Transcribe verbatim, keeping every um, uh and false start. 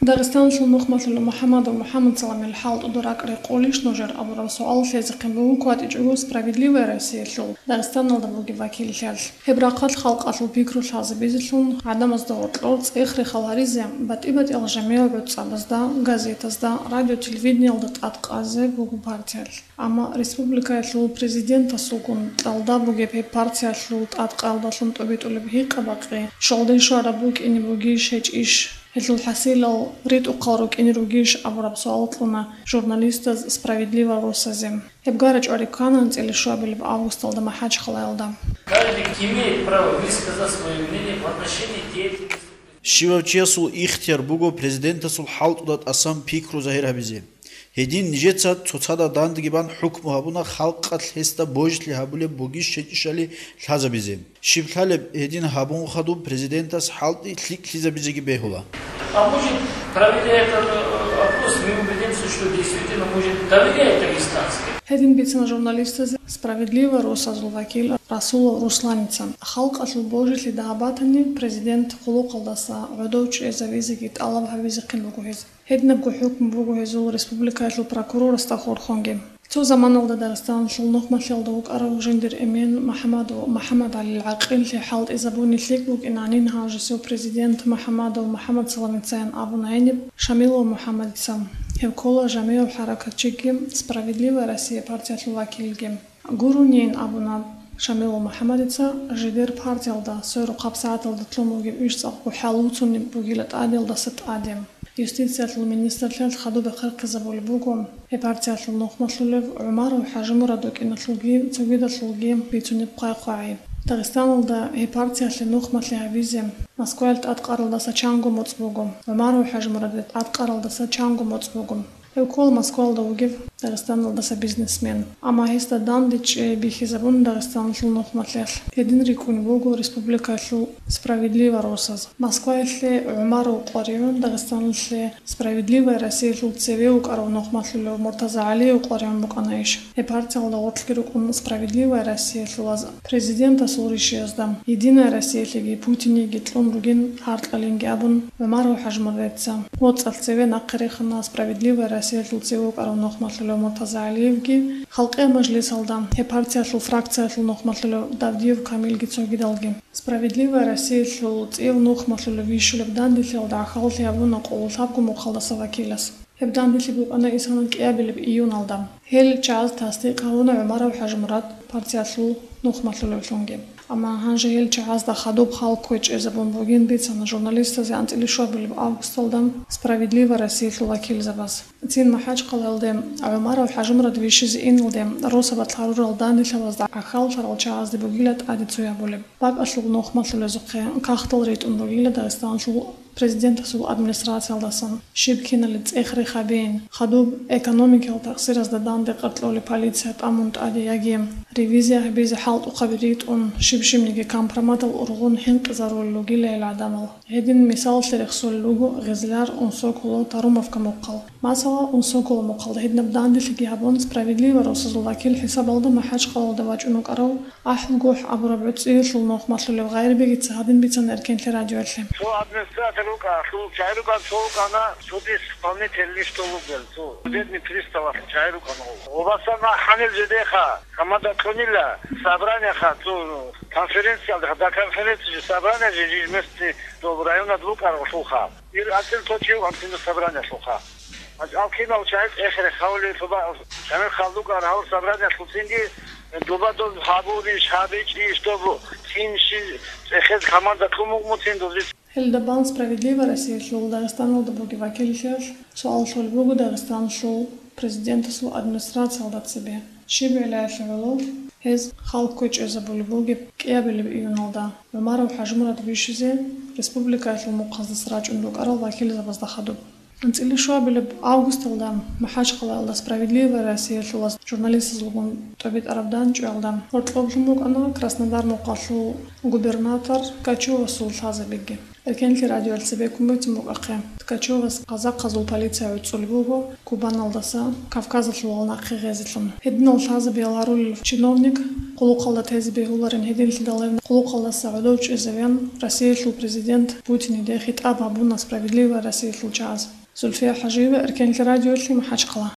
Дагъистаналъул нухмалъулев МухӀаммадов МухӀаммадсаламил хӀалтӀуда ракӀ рекъолищ нужер абураб суал лъезехъин буго кватӀичӀого «Справедливая Россиялъул» Дагъистаналда бугеб вакиллъиялъ. Гьеб рахъалъ халкъалъул пикру лъазабизелъун, гӀадамазда гьоркьор цӀех-рехал гьаризе, батӀи-батӀиял жамигӀ-гӀуцӀабазда, газетазда, радио-телевидениялда тӀад къазе буго партиялъ. Амма республикаялъул президентасулгун кьалда бугеб гьеб партиялъул тӀадкъаялдалъун тӀобитӀулеб гьикъа-бакъи щолдин щвараб букӀине бугищ гьечӀищ? Гьелъул хӀасилал ритӀухъал рукӀине ругищ абураб суал кьуна журналистаз «Справедливая Россиязе». Гьеб гара чӀвари ккана анцӀила щуабилеб августалда МахӀачхъалаялда. Каждый имеет право высказать своё мнение в отношении деятельности. Щивав чиясул ихтияр буго президентасул хӀалтӀуда тӀасан пикру загьир гьабизе. Гьедин нижеца цоцазда дандеги бан хӀукму гьабуна халкъалъ гьесда божилъи гьабулеб бугищ гьечӀищали лъазабизе. Щиб лъалеб, гьедин гьабун хадуб президентас хӀалтӀи лъикӀлъизабизеги бегьула. А может, проведя этот, э, опрос, мы убедимся, что действительно, может, доверяет дагестанцам. Гьедин бицана журналистазе «Справедливая Россиязул» вакил Расулов Русланица. Халкъалъул божилъи дагьаб батани, президент хъулухъалдаса гӀодов чӀезавизеги тӀалаб гьабизехъин буго гьез. Гьединабго хӀукму буго гьезул республикаялъул прокурорасда хурхунги. Цо заманалда Дагъистаналъул нухмалъиялда вукӀарав жиндир эмен МухӀаммадов МухӀаммадгӀалил гӀакъиллъи хӀалтӀизабуни лъикӀ букӀинанин гьанжесев президент МухӀаммадов МухӀаммадсаламицаян абуна гьениб Шамилов МухӀаммадица. Гьев ккола жамигӀав хӀаракатчиги, «Справедливая Россия» партиялъул вакилги. Гуронин абуна Шамилов МухӀаммадица, жидер партиялда сверухъаб сагӀаталда лъун бугеб иш цӀакъго хӀалуцунеб бугила тӀадеялдаса тӀаде. Юстициялъул министрлъиялъ хадуб бахъархъизабулеб буго гьеб партиялъул нухмалъулев ГӀумаров ХӀажимурад вукӀиналъулги цогидалъулги бицунеб хъвай-хъвагӀи. Дагъистаналда гьеб партиялъе нухмалъи гьабизе Москваялъ тӀадкъаралдаса чанго моцӀ буго. ГӀумаров ХӀажимурадил тӀадкъаралдаса чанго моцӀ буго. Гьев ккола Москвалда вугев Дагъистаналдаса бизнесмен. Амма гьесда данде чӀей бихьизабун Дагъистаналъул нухмалъиялъ. Гьедин рикӀкӀунеб буго республикаялъул «Справедливая Россияз». Москваялъе ГӀумаров къваригӀун, Дагъистаналъе «Справедливая Россиялъул» цеве вукӀарав нухмалъулев МуртазагӀалиев къваригӀун букӀана иш. Гьеб партиялда гъорлъги рукӀун «Справедливая Россиялъулаз» президентасул ришиязда, «Единая Россиялъеги Путинеги кьун ругин гьаркьалинги» абун, ГӀумаров ХӀажимурадица. ГьоцӀалъ цеве нахъе рехана «Справедливая Россиялъул» цеве вукӀарав нухмалъулев МуртазагӀалиевги, Халкъиял мажлисалда гьеб партиялъул фракциялъул нухмалъулев Давдиев Камилги цогидалги. «Справедливая Россиялъул» цӀив нухмалъулев вищулеб данделъиялда гӀахьаллъи гьабуна къоло лъабго мухъалдаса вакилас. Гьеб данделъи букӀана исана кӀиабилеб июналда. Гьел чагӀаз тасдикъ гьавуна ГӀумаров ХӀажимурад партиялъул нухмалъулевлъунги. Амма гьанже гьел чагӀазда хадуб хал кквечӀезабун бугин бицана журналистазе анцӀила щуабилеб августалда «Справедливая Россиялъул» вакилзабаз. Цин МахӀачхъалаялде ГӀумаров ХӀажимурад вищизе иналде росабалъ гьарурал данделъабазда гӀахьаллъарал чагӀазде бугила тӀаде цо гьабулеб. БакӀалъул нухмалъулезухъе кагътал ритӀун ругила Дагъистаналъул президентасул администрациялдасан, щиб кинали цӀех-рех гьабейин, хадуб экономикиял такъсиразда данде къаркьолеб полиция тӀамун тӀаде яги ревизия гьабизе хӀалтӀухъаби ритӀун, щиб-щибниги компроматал ургъун хӀинкъизарулел ругила гьел гӀадамал. Гьедин мисалалъе рехсолел руго Гъизлар, Унсоколо, Тарумовка мухъал. Масала, Унсоколо мухъалда гьединаб данделъиги гьабун, «Справедливая Россиязул» вакил хӀисабалда МахӀачхъалаялда вачӀун вукӀарав АхӀулгохӀ абураб гӀуцӀиялъул нухмалъулев Гъайрбегица гьадин бицана Эркенлъи радиоялъе. Цо администратор вукӀа, цо чагӀи рукӀан, цо вукӀана судисполнительный, что вукӀана, цо судебный приставалъ чагӀи рукӀана. Гъобасан махӀанил жидеха, гьамада кьунила собраниеха, цо конференциялда, до конференции же собрание же, же местный доб районад вукӀаралъулха. Ил анцӀил цо чи вукӀан цинги собраниялъулха. Алкинал чагӀи цӀехере хавли, цоба чамил халдукӀар гьав собраниялъул цинги, дуба доб гьабурищ, гьабичӀищ, доб цин щи цӀехез команда кьун мукӀ муцин дози. Гьелда бан «Справедливая Россиялъул» Дагъистаналда бугеб вакиллъиялъ суал лъолеб буго Дагъистаналъул президентасул администрациялда цебе. Щиб гӀелаялъе гӀоло гьез хал кквечӀезабулеб бугеб кӀиабилеб июналда ГӀумаров ХӀажимурад вищизе республикаялъул мухъаздаса рачӀун рукӀарал вакилзабазда хадуб. АнцӀила щуабилеб августалда МахӀачхъалаялда «Справедливая Россиялъулаз» журналистазулгун тӀобитӀараб данчӀваялда гьоркьоблъун букӀана Краснодар мухъалъул губернатор Кочуевасул лъазабиги. Эркенлъи радиоялъ цебеккун бугин букӀахъе. Ткачевас казахъазул полиция гӀуцӀулеб буго Кубаналдаса Кавказалъувал нахъе гъезелъун. Гьединал лъазабиял гьарулел чиновник къулухъалда тезе бегьуларин гьединлъидал гьев къулухъалдаса гӀодов чӀезавеян Россиялъул президент Путиниде хитӀаб гьабуна «Справедливая Россиялъул» чагӀаз. Зульфия Хажиева, Эркенлъи радиоялъе, МахӀачхъала.